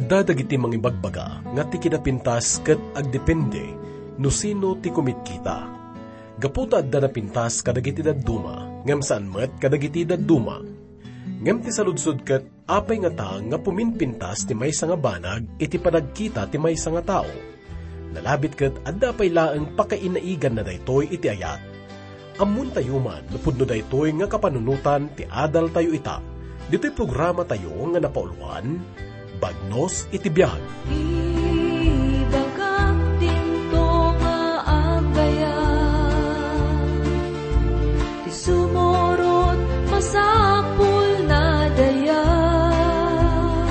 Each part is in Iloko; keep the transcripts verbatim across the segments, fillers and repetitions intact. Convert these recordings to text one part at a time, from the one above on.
Adda dagiti mangibagbaga nga ti kinapintas ket agdepende no sino ti kumitkita. Gapu ta adda napintas kadagiti dadduma, ngem saan met kadagiti dadduma. Ngem ti saludsod ket, apay ngata nga puminpintas ti maysa nga banag iti panagkita ti maysa nga tao? Nalabit ket adda pay laeng pakainaiganna daytoy iti ayat. Ammontayo man no pudno daytoy nga kapanunotan ti adaltayo ita, ditoy programatayo nga napauluan, Bagnos iti Biag. Ibagak dinto nga agayat, ti sumurot masapul na dayag.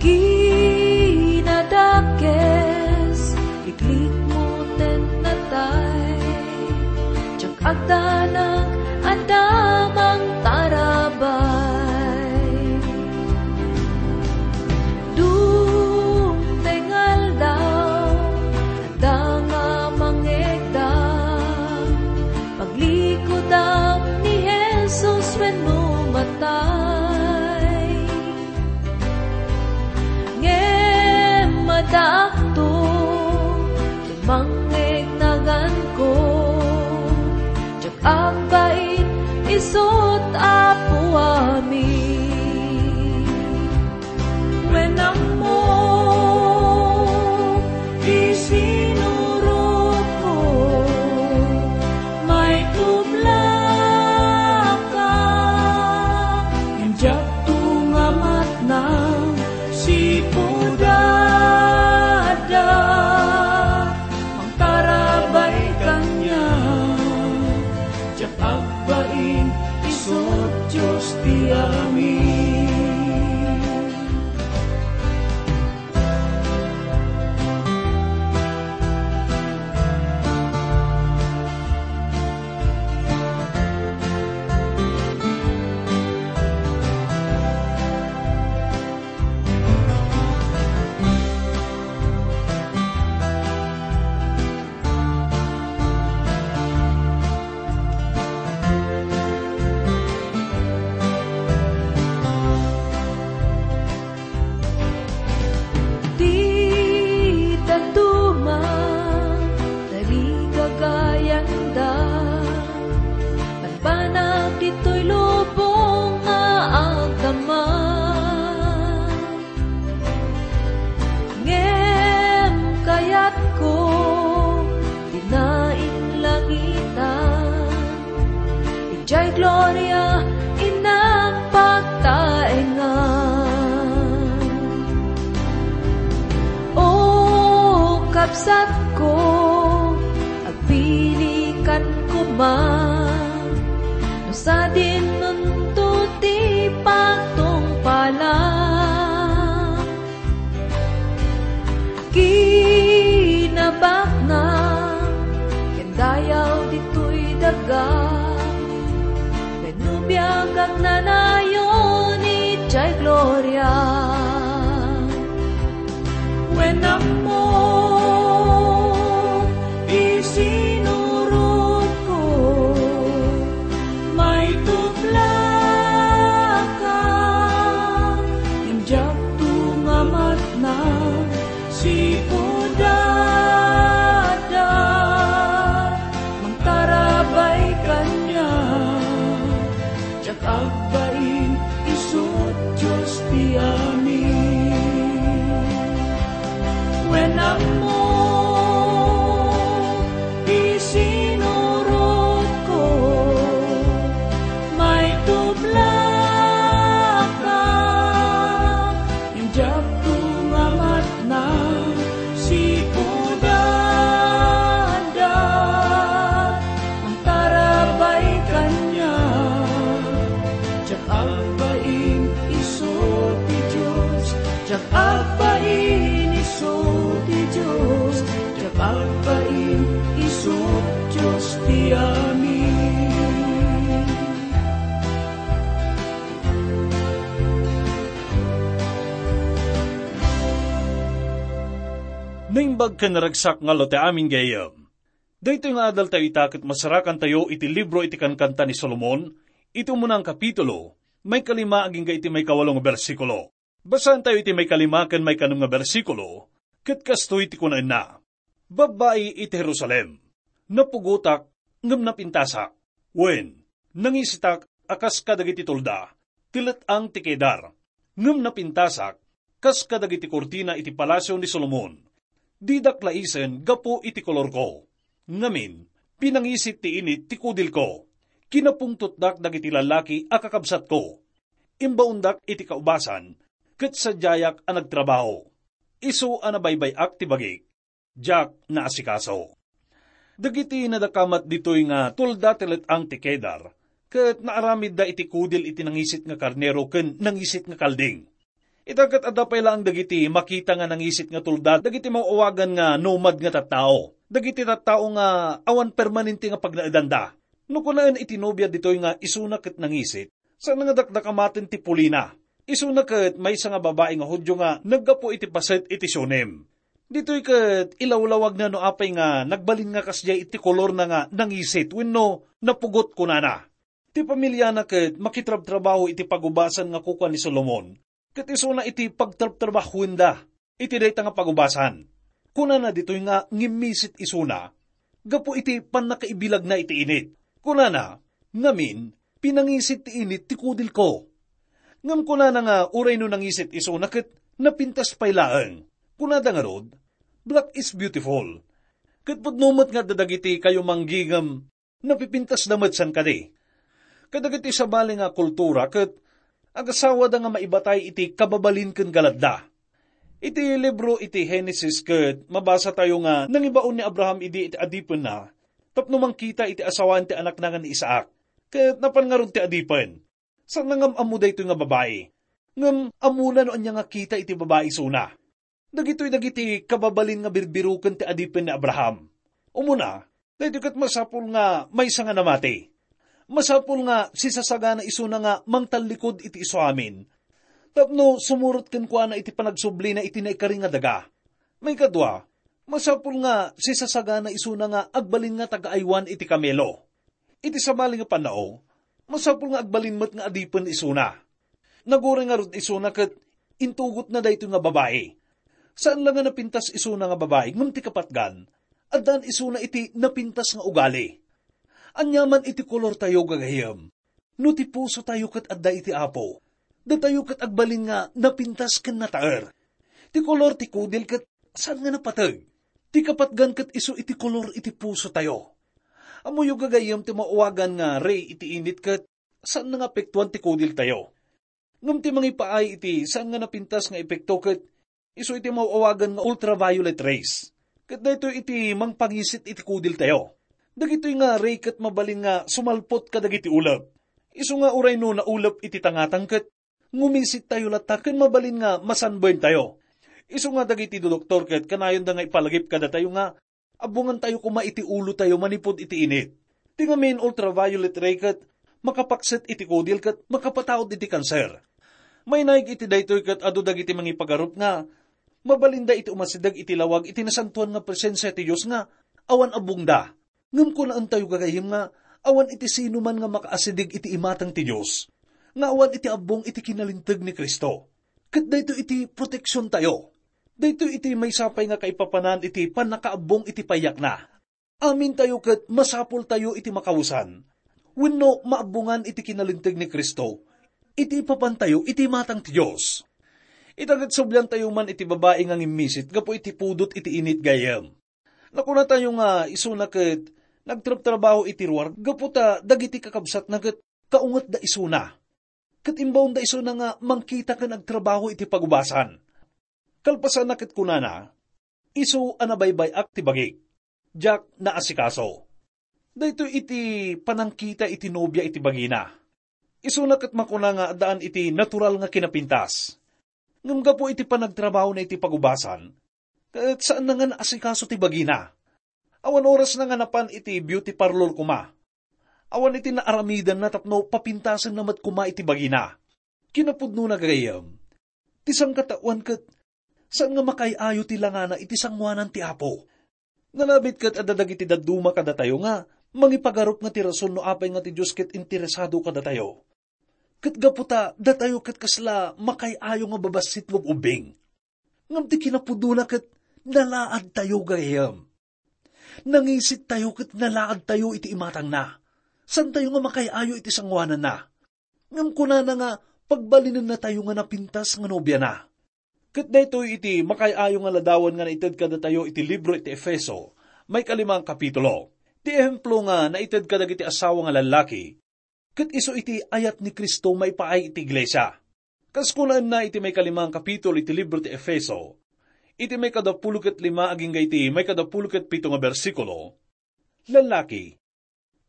Kinadakes, iklikmo ten natay. Diak agdanag, adda mangtarabay. Dumteng aldaw, adda nga mangegda. Paglikudak ni Jesus wenno matay. Ngem addaakto ti mangngegnaganko, diak agbain isut' Apo amin. Wen ammo ti sinurotko, maitublaka. Ngem diakto nga matnang sipud adda mangtarabay kaniak. Diak agbain isut' Dios ti amin. Ti dadduma, tarigagayanda, banbanag ditoy lubong nga agdama. Ngem kayatko ti nainlangitan, idiay gloria innak pagtaengan. O kabsatko, agpilikan koma, no sadinonto ti pagtungpalan. Kinabaknang ken dayaw ditoy daga, wenno biag agnanayon idiay gloria. Wen ammo ti sinurotko, maitublaka, ngem diakto nga matnang sipud adda mangtarabay kaniak. Diak agbain isut' Dios ti amin. Wen ammo ti sinurotko, maitublaka, ngem diakto nga matnang sipud adda mangtarabay kaniak. Diak agbain isu ti Dios, diak agbain isu ti Dios, diak agbain isu Dios ti amin. Naimbag ken naragsak nga allo ti amin gayam. Daytoy nga adaltayo ita ket masarakantayo iti libro iti Kankanta ni Solomon, iti umuna nga kapitulo, maikalima agingga iti maikawalo nga bersikulo. Basaentayo iti maikalima ken maikanem nga bersikulo, ket kastoy ti kunaenna, "Babbai iti Jerusalem, napugotak ngem napintasak. Wen, nangisitak a kas kadagiti tulda ti let-ang ti Kedar, ngem napintasak kas kadagiti kurtina iti palasio ni Solomon. Didak laisen gapu iti kolorko. Ngamin, pinangisit ti init ti kudilko. Kinapungtotdak dagiti lallaki a kakabsatko. Imbaondak iti kaubasan, ket sadiayak a nagtrabaho. Isu a nabaybay-ak ti bagik. Diak naasikaso." Dagiti nadakamat ditoy nga tulda ti let-ang ti Kedar, ket naaramidda iti kudil iti nangisit nga karnero ken nangisit nga kalding. Ita ket adda pay laeng dagiti makita nga nangisit nga tulda dagiti maawagan nga nomad nga tattao, dagiti tattao nga awan permanente nga pagnaedanda. No kunaen iti nobia ditoy nga isuna ket nangisit, saan nga dakdakamaten ti pulina. Isuna ket maysa nga babai nga Judio nga naggapu iti paset iti Shunem. Ditoy ket ilawlawagna no apay nga nagbalin nga kasdiay iti kolorna nga nangisit wenno napugot, kunana. Ti pamiliana ket makitrabtrabaho iti pagubasan nga kukua ni Solomon, ket isuna iti pagtrabtrabahoenda iti dayta nga pagubasan. Kunana ditoy nga ngimmisit isuna gapu iti pannakaibilagna iti init. Kunana, "Ngamin, pinangisit ti init ti kudilko." Ngem kunana nga uray no nangisit isuna ket napintas pay laeng. Kunada ngarud, "Black is beautiful." Ket pudno met nga adda dagiti kayo manggigem napipintasda met, saan kadi? Kadagiti sabali nga kultura ket agasawada nga maibatay iti kababalin ken galadda. Iti libro iti Genesis ket mabasatayo nga nangibaon ni Abraham idi iti adipenna tapno mangkita iti asawaen ti anakna nga ni Isaac. Ket napan ngarud ti adipen. Saan nga am-ammo daytoy nga babai. Ngem ammona no ania nga kita iti babai isuna. Dagitoy dagiti kababalin nga birbiroken ti adipen ni Abraham. Umuna, daytoy ket masapul nga maysa nga namati. Masapul nga sisasagana isuna nga mangtallikud iti isuamin tapno sumurot kenkuana iti panagsublina iti naikari nga daga. Maikadua, masapul nga sisasagana isuna nga agbalin nga taga-aywan iti kamelo. Iti sabali nga pannao, masapul nga agbalin met nga adipen isuna. Naguray ngarud isuna ket intugotna daytoy nga babai. Saan la nga napintas isuna nga babai, ngem ti kapatgan, addaan isuna iti napintas nga ugali. Aniaman iti kolortayo, gagayyem, no ti pusotayo ket adda iti Apo, datayo ket agbalin nga napintas ken nataer. Ti kolor ti kudil ket saan nga napateg. Ti kapatgan ket isu iti kolor iti pusotayo. Ammoyo, gagayyem, ti maawagan nga ray iti init ket saan nga apektuan ti kudiltayo. Ngem ti mangipaay iti saan nga napintas nga epekto ket isu iti maawagan nga ultraviolet rays. Ket daytoy iti mangpangisit iti kudiltayo. Dagitoy nga ray ket mabalin nga sumalpot kadagiti ulep. Isu nga uray no naulep iti tangatang ket ngumisit tayo latta ken mabalin nga masanben tayo. Isu nga dagiti doktor ket kanayonda nga ipalagip kadatayo nga abbongan tayo koma iti ulo tayo manipud iti init. Ti ngamin ultraviolet ray ket makapakset iti kudil ket makapataud iti kanser. Mainaig iti daytoy ket adu dagiti mangipagarup nga mabalinda iti umasideg iti lawag iti nasantoan nga presensia ti Dios nga awan abbongda. Ngem kunaentayo, gagayyem, nga awan iti sinuman nga makaasideg iti imatang ti Dios, nga awan iti abbong iti kinalinteg ni Cristo. Ket daytoy iti proteksiontayo. Daytoy iti maysa pay nga kaipapanan iti pannakaabbong iti payakna. Amintayo ket masapultayo iti makawesan wenno maabbongan iti kinalinteg ni Cristo iti ipapantayo iti imatang ti Dios. Ita ket subliantayo man iti babai nga ngimmisit gapu iti pudot iti init, gayyem. Nakunatayo nga isuna ket nagtrabtrabaho iti ruar gapu ta dagiti kakabsatna ket kaungetda isuna. Ket imbaonda isuna nga mangkita ken agtrabaho iti pagubasan. Kalpasanna ket kunana, "Isu a nabaybay-ak ti bagik, diak naasikaso." Daytoy iti panangkita iti nobia iti bagina. Isuna ket makuna nga addaan iti natural nga kinapintas. Ngem gapu iti panagtrabahona iti pagubasan, ket saanna nga naasikaso ti bagina. Awan orasna nga napan iti beauty parlor koma. Awan iti naaramidanna tapno papintasenna met koma iti bagina. Kinapudnona, gagayyem, ti sangkataoan ket saan nga makaay-ayo ti langana iti sangoanan ti Apo. Nalabit ket adda dagiti dadduma kadatayo nga mangipagarup nga ti rason no apay nga ti Dios ket interesado kadatayo. Ket gapu ta datayo ket kasla makay-ayo nga babassit wenno ubbing. Ngem ti kinapudnona ket nalaadtayo gayam. Nangisit tayo ket nalaad tayo iti imatangna. Saan tayo nga makay-ayo iti sangoananna. Ngem kunana nga pagbalinennatayo nga napintas nga nobiana. Ket daytoy iti makay-ayo nga ladawan nga naited kadatayo iti libro iti Efeso, maikalimang kapitulo. Ti ehemplo nga naited kadagiti asawa nga lallaki, ket isu iti ayat ni Cristo maipaay iti iglesia. Kas kunaenna iti maikalimang kapitulo iti libro ti Efeso, iti maikadapulo ket lima agingga iti maikadapulo ket pito nga bersikulo, "Lallaki,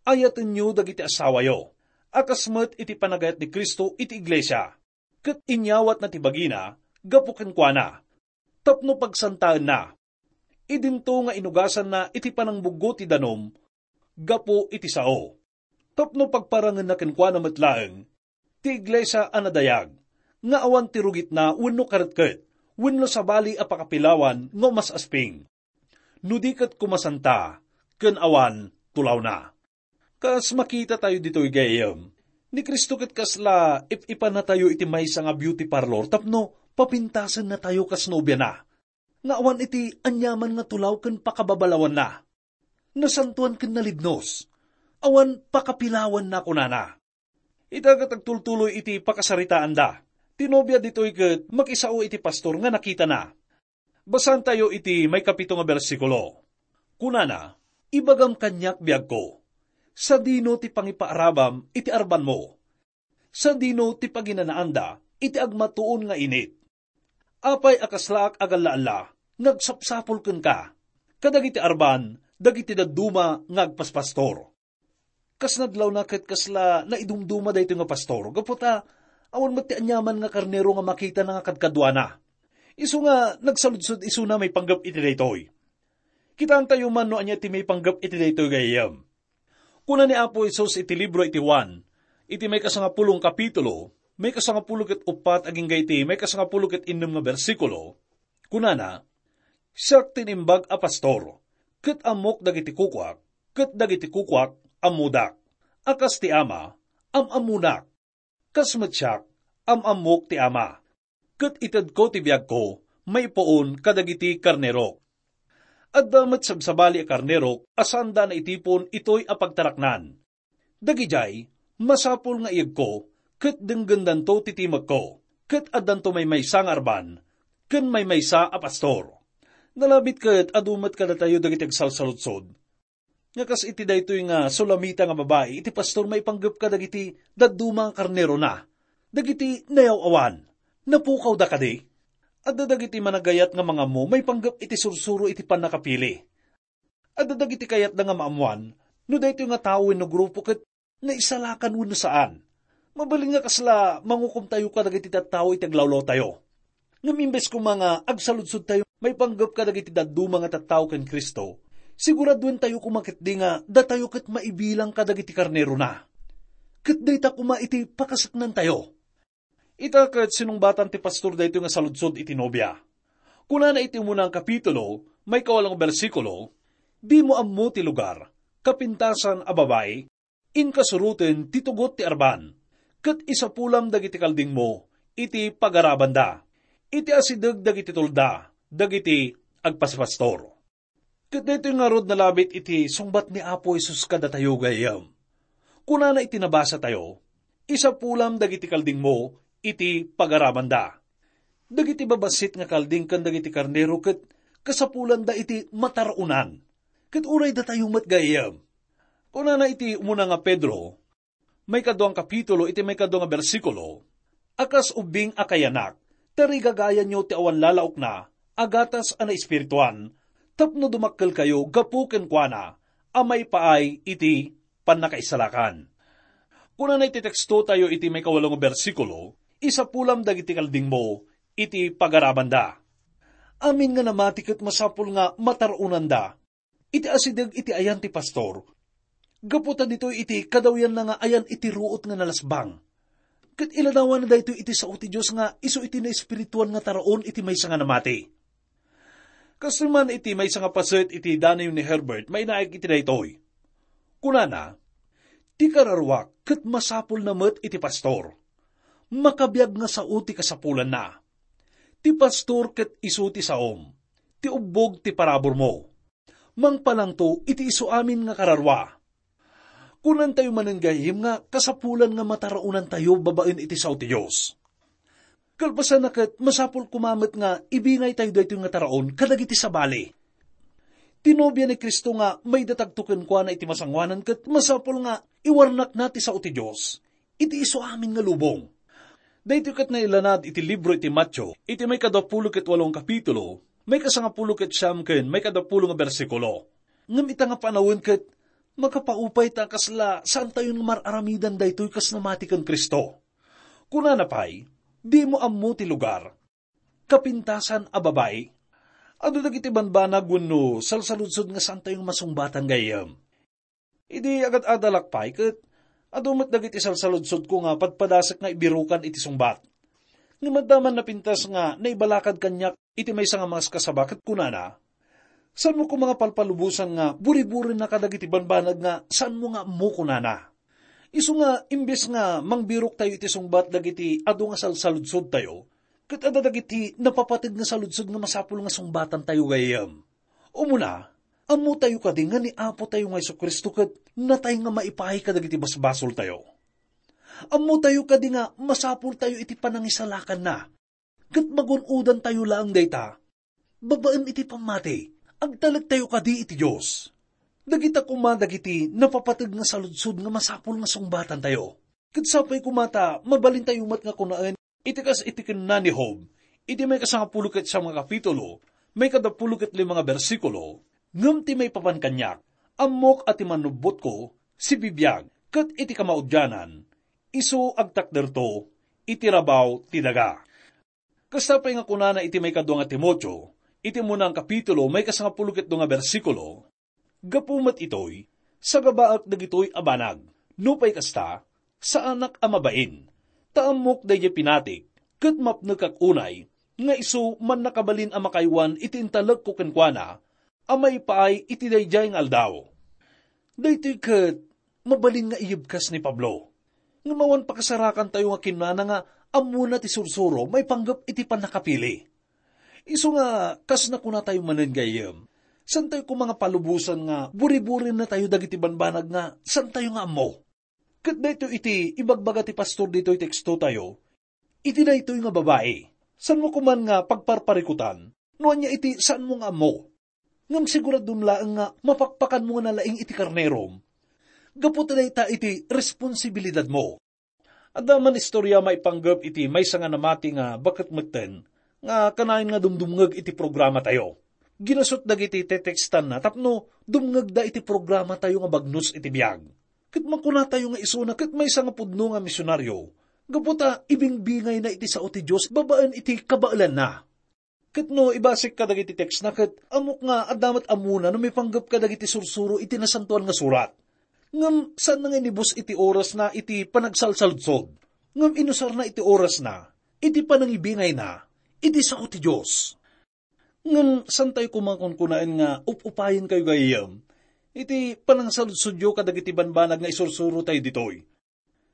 ayatenyo dagiti asawayo, a kas met iti panagayat ni Cristo iti iglesia, ket inyawatna ti bagina gapu kenkuana, tapno pagsantaenna. Idinto nga inugasanna iti panangbuggo ti danum gapu iti sao, tapno pagparangenna kenkuana met laeng ti iglesia a nadayag, nga awan ti rugitna wenno karetket, wenno sabali a pakapilawan nga umas-asping, no di ket kumasanta ken awan tulawna." Kas makitatayo ditoy gayam, ni Cristo ket kasla ip-ipannatayo iti maysa nga beauty parlor tapno papintasennatayo kas nobiana, nga awan iti aniaman nga tulaw ken pakababalawanna. Nasantoan ken nalibnos. Awan pakapilawanna, kunana. Ita ket agtultuloy iti pakasaritaanda. Ti nobia ditoy ket makisao iti pastor nga nakitana. Basaentayo iti maikapito nga bersikulo. Kunana, "Ibagam kaniak, biagko, sadino ti pangipaarabam iti arbanmo? Sadino ti paginanaanda iti agmatuon nga init? Apay a kaslaak agalla-alla nga agsapsapul kenka kadagiti arban dagiti dadduma nga agpaspastor?" Kas nadlawna ket kasla naidumduma daytoy nga pastor, gapu ta awan met ti aniaman nga karnero nga makitana nga kadkaduana. Isu nga nagsaludsod isuna maipanggep iti daytoy. Kitaentayo man no ania ti maipanggep iti daytoy gayam. Kuna ni Apo Jesus iti libro iti Juan, iti maikasangapulong kapitulo, maikasangapulo ket uppat agingga iti maikasangapulo ket innem nga bersikulo, kunana, "Siak ti naimbag a pastor, ket ammok dagiti kukuak, ket dagiti kukuak ammodak. A kas ti Ama, am-ammonak. Kas met siak, am-ammok ti Ama. Ket itedko ti biagko maipuon kadagiti karnerok. Adda met sabsabali a karnerok a saanda naitipon itoy a pagtaraknan. Dagidiay, masapul nga iyegko, ket denggendanto ti timekko, ket addanto maymaysa nga arban, ken maymaysa a pastor." Nalabit ket adu met kadatayo dagiti agsalsaludsod nga kas iti daytoy nga Sulamita nga babai iti pastor maipanggep kadagiti dadduma nga karnerona, dagiti nayaw-awan. Napukawda kadi? Adda dagiti managayat nga mangammo maipanggep iti sursuro iti pannakapili. Adda dagiti kayatda nga maammoan no daytoy nga tao wenno grupo ket naisalakan wenno saan. Mabalin nga kasla mangukomtayo kadagiti tattao iti aglawlawtayo. Ngem imbes koma nga agsaludsodtayo maipanggep kadagiti dadduma nga tattao ken Cristo, siguraduentayo koma ketdi nga datayo ket maibilang kadagiti karnerona. Ket dayta koma iti pakasaknantayo. Ita ket sinungbatan ti pastor daytoy nga saludsod iti nobia. Kunana iti umuna nga kapitulo, maikawalo nga bersikulo, "Dimo ammo ti lugar, kapintasan a babai, inkasuroten ti tugot ti arban, ket isapulam dagiti kaldingmo iti pagarabanda, iti asideg dagiti tulda dagiti agpaspastor." Ket daytoy ngarud nalabit iti sungbat ni Apo Jesus kadatayo gayam. Kunana iti nabasatayo, "Isapulam dagiti kaldingmo iti pagarabanda." Dagiti babassit nga kalding ken dagiti karnero ket kasapulanda iti matar-onan. Ket uray datayo met gayam. Kunana iti umuna nga Pedro, maikadua nga kapitulo iti maikadua nga bersikulo, "A kas ubbing a kayanak, tarigagayanyo ti awan lalaokna a gatas a naespirituan, tapno dumakkelkayo gapu kenkuana a maipaay iti pannakaisalakan." Kunana iti tekstotayo iti maikawalo nga bersikulo, "Isapulam dagiti kaldingmo iti pagarabanda." Amin nga namati ket masapul nga matar-onanda iti asideg iti ayan ti pastor. Gapu ta ditoy iti kadawyanna nga ayan iti ruot nga nalasbang. Ket iladawanna daytoy iti sao ti Dios nga isu iti naespirituan nga taraon iti maysa nga namati. Kastoy man iti maysa nga paset iti danayo ni Herbert, mainaig iti daytoy. Kunana, "Ti kararuak ket masapulna met iti pastor. Makabiag nga sao ti kasapulanna. Ti pastor ket isu ti saom. Ti ubbog ti paraburmo. Mangpalangto iti isu amin nga kararua. Kunantayo manen gayam nga kasapulan nga mataraonantayo babaen iti sao ti Dios. Kalpasanna ket, masapul koma met nga ibingaytayo daytoy nga taraon kadagiti sabali. Ti nobia ni Cristo nga maidatagto kenkuana iti masangoanan ket masapul nga iwarnakna ti sao ti Dios iti isu amin nga lubong. Daytoy ket nailanad iti libro iti Mateo, iti maikadapulo ket walo nga kapitulo, maikasangapulo ket siam ken maikadapulo nga bersikulo. Ngem ita nga panawen ket makapaupay ta kasla saantayon nga mar-aramidan daytoy kas namati ken Cristo. Kunana pay, "Dimo ammo ti lugar. Kapintasan a babai." Adu dagiti banbanag wenno salsaludsod nga saantayo nga masungbatan gayam. Idi agad-adalak pay ket adu met dagiti salsaludsodko nga padpadasek nga ibirukan iti sungbat. Ngem adda man napintas nga naibalakad kaniak iti maysa nga maskasaba ket kunana, "Saanmo koma nga palpalubosan nga buri-burina kadagiti banbanag nga saanmo nga ammo," kunana. Isu nga, imbes nga mangbiroktayo iti sungbat dagiti adu nga salsaludsodtayo, ket adda dagiti napapateg nga saludsod nga masapul nga sungbatantayo gayam. Umuna, ammotayo kadi nga ni Apotayo nga Jesu-Cristo ket natay nga maipaay kadagiti basbasoltayo? Ammotayo kadi nga masapultayo iti panangisalakanna? Ket magun-odantayo laeng dayta, babaen iti pammati, agtalektayo kadi iti Dios. Dagita koma dagiti napapateg nga saludsod nga masapul nga sungbatantayo. Ket sapay koma ta mabalintayo met nga kunaen iti kas iti kinuna ni Job, iti maikasangapulo ket siam nga kapitulo, maikadapulo ket lima nga bersikulo, "Ngem ti maipapan kaniak, ammok a ti manubbotko, sibibiag, ket iti kamaudianan, isu agtakderto iti rabaw ti daga." Kasta pay nga kunana iti maikadua nga Timoteo, iti umuna nga kapitulo, maikasangapulo ket dua nga bersikulo, "Gapu met itoy, sagabaek dagitoy a banag. Nupay kasta, saanak a mabain, ta ammok daydiay pinatik, ket mapnekak unay nga isu mannakabalin a makaywan iti intalekko kenkuana a maipaay iti daydiay nga aldaw." Daytoy ket mabalin nga iyebkas ni Pablo. Ngem awan pakasarakantayo nga kinunana nga ammona ti sursuro maipanggep iti pannakapili. Isu nga, kas nakunatayo manen gayam, saantayo koma nga palubosan nga buri-burinatayo dagiti banbanag nga saantayo nga ammo. Ket daytoy iti ibagbaga ti pastor ditoy tekstotayo, iti daytoy nga babai, saanmo koman nga pagparparikutan no ania iti saanmo nga ammo. Ngem siguradom laeng nga mapakpakanmo nga nalaing iti karnerom. Gapu ta dayta iti responsibilidadmo. Adda man istorya maipanggep iti maysa nga namati nga baket metten nga kanayon nga dumdumngeg iti programatayo. Ginasut dagiti tetekstanna tapno dumngegda iti programatayo nga bagnos iti biag. Ket makunatayo nga isuna ket maysa nga pudno nga misionaryo, gapu ta ibingbingayna iti sao ti Dios babaen iti kabaelanna. Ket no ibasik kadagiti tekstna, ket ammok nga adda met ammona no maipanggep kadagiti sursuro iti Nasantoan nga Surat. Ngem saanna nga inibus iti orasna iti panagsalsaludsod, ngem inusarna iti orasna iti panangibingayna iti sao ti Dios. Ngem saantayo koma kunkunaen nga up-upayenkayo gayam iti panangsaludsodyo kadagiti banbanag nga isursurotayo ditoy.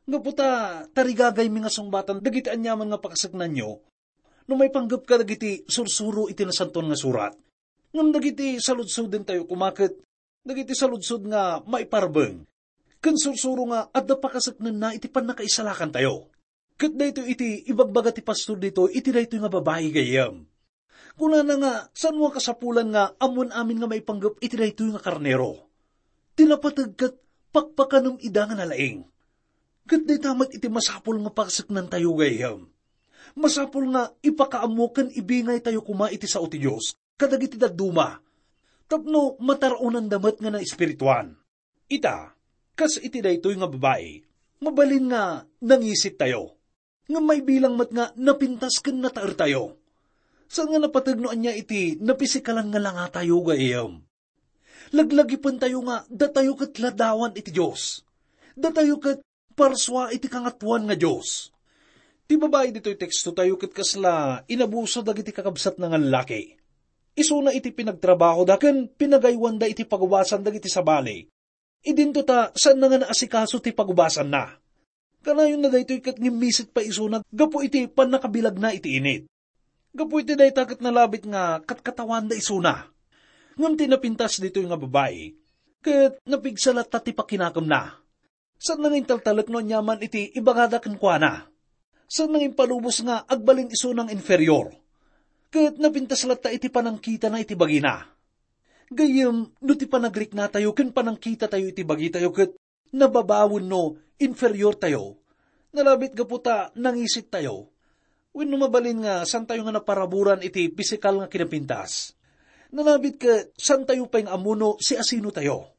Gapu ta tarigagaymi nga sungbatan dagiti aniaman nga pakaseknanyo no maipanggep kadagiti sursuro iti Nasantoan nga Surat. Ngem dagiti saludsodentayo koma ket dagiti saludsod nga maiparbeng ken sursuro nga adda pakaseknenna iti pannakaisalakantayo. Ket daytoy iti ibagbaga ti pastor ditoy iti daytoy nga babai gayam. Kunana nga, saanmo a kasapulan nga ammoen amin nga maipanggep iti daytoy nga karnero. Ti napateg ket pakpakanem ida nga nalaing. Ket dayta met iti masapul nga pakaseknantayo gayam. Masapul nga ipakaammo ken ibingaytayo koma iti sao ti Dios kadagiti dadduma, tapno mataraonanda met nga naespirituan. Ita, kas iti daytoy nga babai, mabalin nga nangisittayo. Ngem maibilang met nga napintas ken nataertayo. Saan nga napateg no ania iti napisikalan nga langatayo gayam. Laglagipentayo nga datayo ket ladawan iti Dios. Datayo ket parsua iti Kangatoan nga Dios. Ti babai ditoy tekstotayo ket kasla inabuso dagiti kakabsatna nga lallaki. Isuna iti pinagtrabahoda ken pinagaywanda iti pagubasan dagiti sabali. Idinto ta saanna nga naasikaso ti pagubasanna. Kanayonna daytoy ket ngimmisit pay isuna gapu iti pannakabilagna iti init. Gapu iti dayta ket nalabit nga katkatawan da isuna. Ngem ti napintas ditoy nga babai, ket napigsa latta ti pakinakemna. Saanna nga intaltalek no aniaman iti ibagada kenkuana. Saanna nga impalubos nga agbalin isuna nga inferior. Ket napintas latta iti panangkitana iti bagina. Gayyem, no ti panagriknatayo ken panangkitatayo iti bagitayo ket nababawen no inferiortayo, nalabit gapu ta nangisittayo. Wenno mabalin nga saantayo nga naparaburan iti pisikal nga kinapintas. Nalabit ket saantayo pay nga ammo no siasinotayo.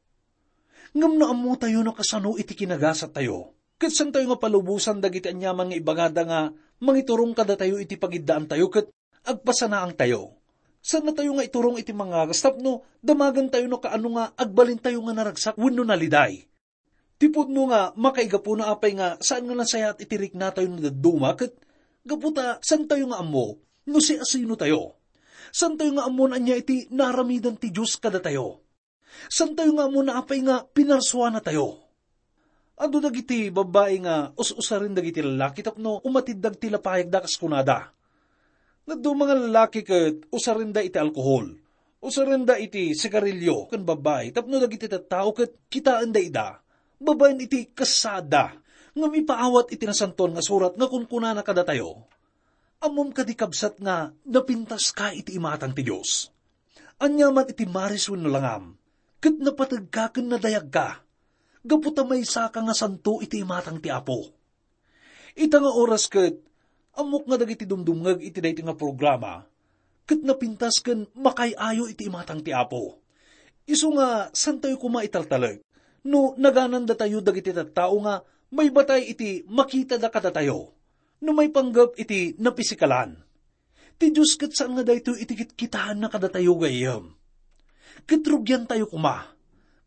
Ngem no ammotayo no kasano iti kinagasattayo, ket saantayo nga palubosan dagiti aniaman nga ibagada nga mangiturong kadatayo iti pagiddaantayo ket agpasanaangtayo. Saannatayo nga iturong iti mangagas tapno damagentayo no kaano nga agbalintayo nga naragsak wenno naliday. Ti pudno nga makaigapuna apay nga saan nga nasayaat iti riknatayo no dadduma ket gapu ta saantayo nga ammo no siasinotayo. Saantayo nga ammo no ania iti naaramidan ti Dios kadatayo. Saantayo nga ammo no apay nga pinarsuanatayo. Adu dagiti babbai nga us-usaren dagiti lallaki tapno umatidda ti lapayagda kas kunada. Dadduma nga lallaki ket usarenda iti alkohol. Usarenda iti sigarilio ken babbai tapno dagiti tattao ket kitaenda ida babaen iti kasaadda. Ngem ipaawat iti Nasantoan nga Surat nga kunkunana kadatayo, "Ammom kadi, kabsat, nga napintaska iti imatang ti Dios? Aniaman iti maris wenno langam, ket napategka ken nadayagka, gapu ta maysaka nga santo iti imatang ti Apo." Ita nga oras ket, ammok nga dagiti dumdumngeg iti daytoy nga programa, ket napintas ken makaay-ayo iti imatang ti Apo. Isu nga, saantayo koma italtalek no naganandatayo dagiti tattao nga maibatay iti makitada kadatayo, no maipanggep iti napisikalan. Ti Dios ket saan nga daytoy iti kitkitaenna kadatayo gayyem. Ket rugiantayo koma,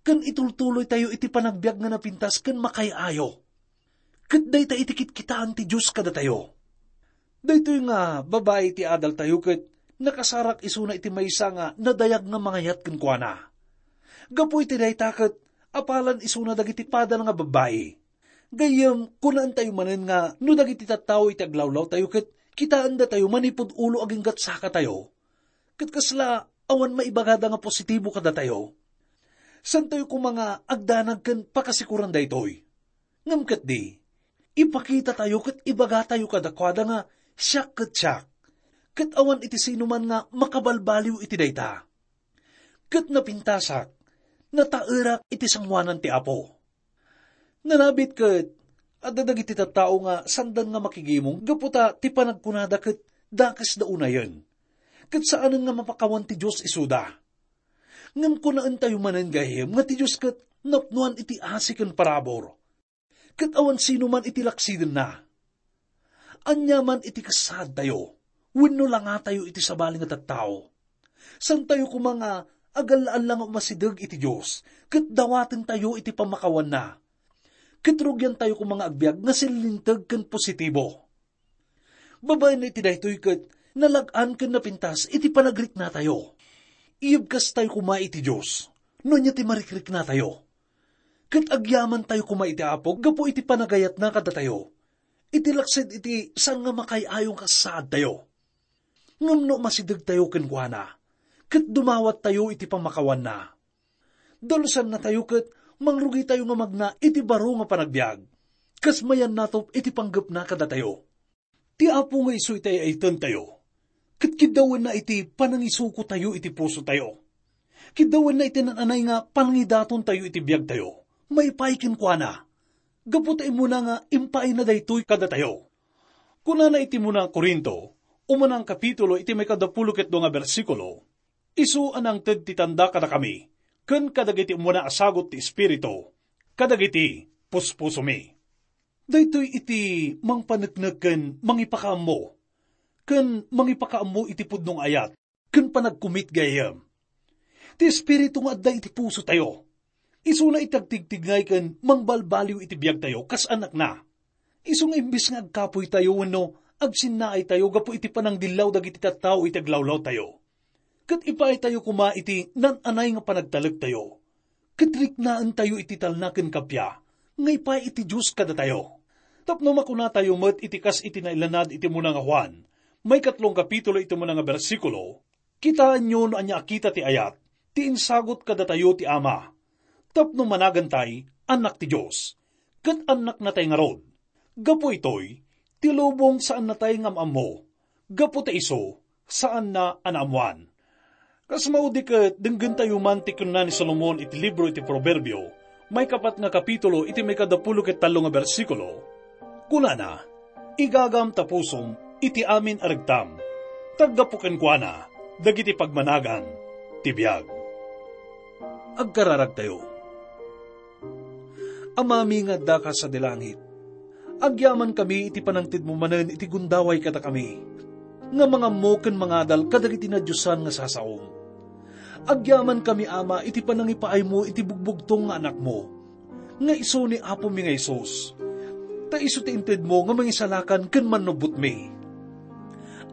ken itultuloytayo iti panagbiag nga napintas ken makaay-ayo. Ket dayta iti kitkitaen ti Dios kadatayo. Daytoy nga babai ti adaltayo ket nakasarak isuna iti maysa nga nadayag nga mangayat kenkuana. Gapu iti dayta ket apalan isuna dagiti padana nga babbai. Gayyem, kunaentayo manen nga no dagiti tattao iti aglawlawtayo ket kitaendatayo manipud ulo agingga sakatayo, ket kasla awan maibagada nga positibo kadatayo, saantayo koma nga agdanag ken pakasikuran daytoy. Ngem ketdi, ipakitatayo ket ibagatayo kadakuada nga siak ket siak, ket awan iti sinoman nga makabalbaliw iti dayta. Ket napintasak, nataerak iti sangoanan ti Apo. Nalabit ket adda dagiti tattao nga saandan nga makigimong gapu ta ti panagkunada ket dakesda unayen, ket saanen nga mapakawan ti Dios isuda. Ngem kunaentayo manen gayyem nga ti Dios ket napnoan iti asi ken parabur, ket awan sinoman iti laksidenna. Aniaman iti kasaadtayo wenno langatayo iti sabali nga tattao, saantayo koma nga agalla-alla nga umasideg iti Dios ket dawatentayo iti pammakawanna, ket rugiantayo koma nga agbiag nga sillinteg ken positibo. Babaen iti daytoy ket nalag-an ken napintas iti panagriknatayo. Iyebkastayo koma iti Dios no ania ti marikriknatayo. Ket agyamantayo koma iti Apo gapu iti panagayatna kadatayo, iti laksid iti saan nga makaay-ayo nga kasaadtayo. Ngem no masidegtayo kenkuana, ket dumawattayo iti pammakawanna, dalusannatayo ket mangrugitayo nga magna iti baro nga panagbiag, kas mayannatop iti panggepna kadatayo. Ti Apo nga isu iti ay-aytentayo, ket kiddawenna iti panangisukotayo iti pusotayo. Kiddawenna iti naan-anay nga panangidatontayo iti biagtayo, maipaay kenkuana, gapu ta immuna nga impaayna daytoy kadatayo. Kunana iti umuna a Corinto, umuna a kapitulo iti maikadapulo ket dua nga bersikulo, "Isu a nangted ti tanda kadakami, ken kadagiti umuna a sagut ti Espiritu, kadagiti puspusomi." Daytoy iti mangpaneknek ken mangipakaammo, ken mangipakaammo iti pudno nga ayat ken panagkumit gayyem. Ti Espiritu nga adda iti pusotayo, isuna iti agtigtignay ken mangbalbaliw iti biagtayo kas annakna. Isu nga imbes nga agkapoytayo wenno agsinnaaytayo gapu iti panangdillaw dagiti tattao iti aglawlawtayo, ket ipaaytayo koma iti naan-anay nga panagtalektayo, ket riknaentayo iti talna ken kappia nga ipaay iti Dios kadatayo. Tapno makunatayo met iti kas iti nailanad iti umuna nga Juan, maikatlong kapitulo iti umuna nga bersikulo, kitaenyo no ania a kita ti ayat ti insagut kadatayo ti Ama, tapno managantay annak ti Dios, ket annaknatay ngarud. Gapu itoy, ti lubong saannatay nga am-ammo, gapu ta isu, saanna a naammoan. Kas maudi ket, denggentayo man ti kinuna ni Solomon iti libro iti Proverbio, maikapat nga kapitulo iti maikadapulo ket tallo nga bersikulo. Kunana, "Igagam ta pusom iti amin a regtam, ta aggapu kenkuana dagiti pagmanagan ti biag." Agkararagtayo. Amami nga addaka sadi langit, agyamankami iti panangtedmo manen iti gundaway kadakami, nga mangammo ken mangadal kadagiti nadiosan nga sasaom. Agyamankami, Ama, iti panangipaaymo iti bugbugtong nga Anakmo, nga isu ni Apomi nga Jesus, ta isu ti intedmo nga Mangisalakan ken Mannubbotmi.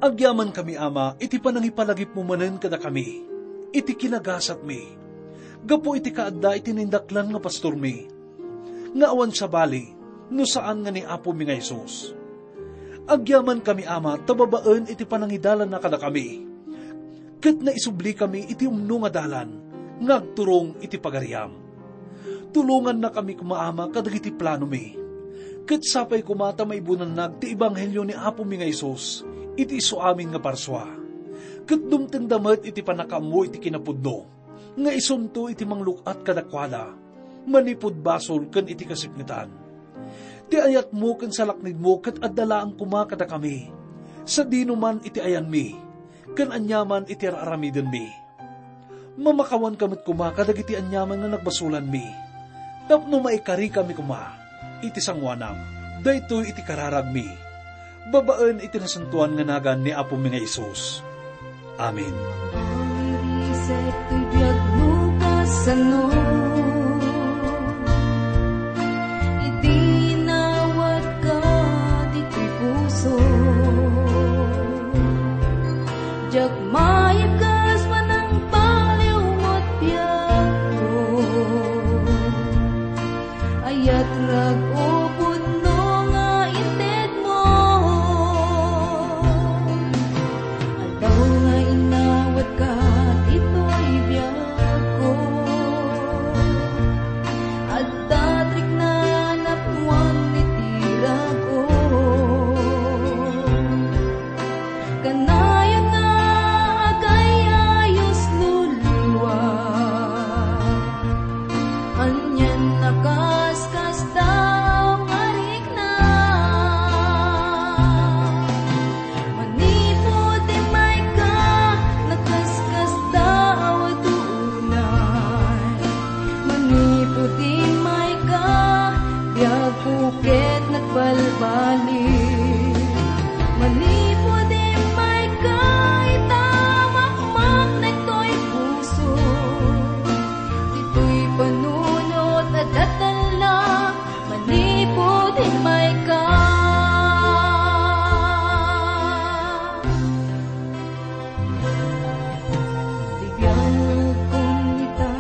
Agyamankami, Ama, iti panangipalagipmo manen kadakami, iti kinagasatmi, gapu iti kaadda iti naindaklan nga pastormi, nga awan sabali no saan nga ni Apomi nga Jesus. Agyamankami, Ama, ta babaen iti panangidalanna kadakami, ket naisublikami iti umno nga dalan nga agturong iti pagariam. Tulongannakami koma, Ama, kadagiti planomi, ket sapay koma ta maibunannag ti ebanghelio ni Apomi nga Jesus iti isu amin nga parsua, ket dumtengda met iti pannakaammo iti kinapudno nga isunto iti mangluk-at kadakuada manipud basol ken iti kasipngetan. Ti ayatmo ken salaknibmo ket adda laeng koma kadakami, sadino man iti ayanmi ken aniaman iti ar-aramidenmi. Mamakawanka met koma kadagiti aniaman nga nagbasolanmi, tapno maikarikami koma iti sangoanam. Daytoy iti kararagmi, babaen iti nasantoan nga nagan ni Apomi nga Jesus. Amen. Mairisek toy biag no kasano, idi nawatka ditoy puso. Diak maibkas manangbaliw met biagko. Ayat rag-o pudno nga intedmo. Aldaw nga inawatka ditoy biagko. Adda ti rikna napnoan iti rag-o. Kanayon nga agay-ayos no liwa. Anian a kaskasdaaw nga rikna. Manipud immayka, nakaskasdaaw a dunay. Manipud immayka, biagko ket nagbalbaliw. Manipud immayka, ita makmaknek toy puso. Ditoy panunot a datella, manipud immayka. Ti biangkon ita,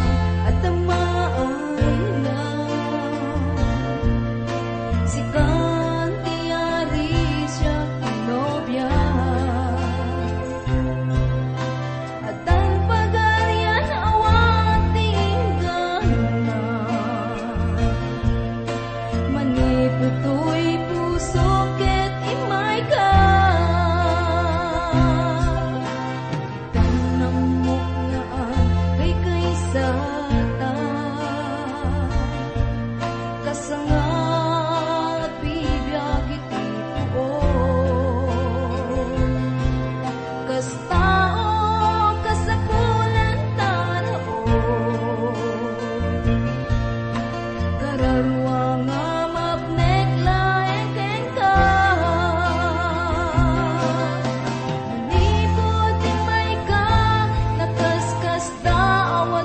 adda maayna. Sikan ti yari, siak ti nobia. Addan pagarian, awan ti inggana. Manipud toy puso ket immayka. Itan ammok nga agkaysata. Kasangad bibiag iti puon. Kas tao, kasapulan ta raon. Kararua nga mapnek laeng kenka. Manipud immayka, nakaskasdaaw a